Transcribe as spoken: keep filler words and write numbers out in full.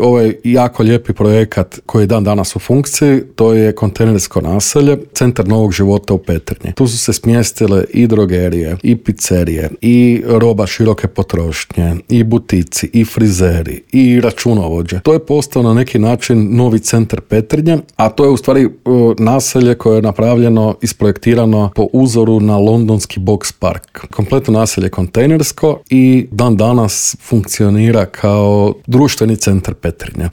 ovaj jako lijepi projekat koji je dan danas u funkciji, to je kontejnersko naselje, centar novog života u Petrinji. Tu su se smjestile i drogerije, i pizzerije, i roba široke potrošnje, i butici, i frizeri, i računovođe. To je postao na neki način novi centar Petrinje, a to je u stvari uh, naselje koje je napravljeno, isprojektirano po uzoru na londonski Box Park. Kompletno naselje kontejnersko i dan danas funkcionira kao društveni centar Petrinje.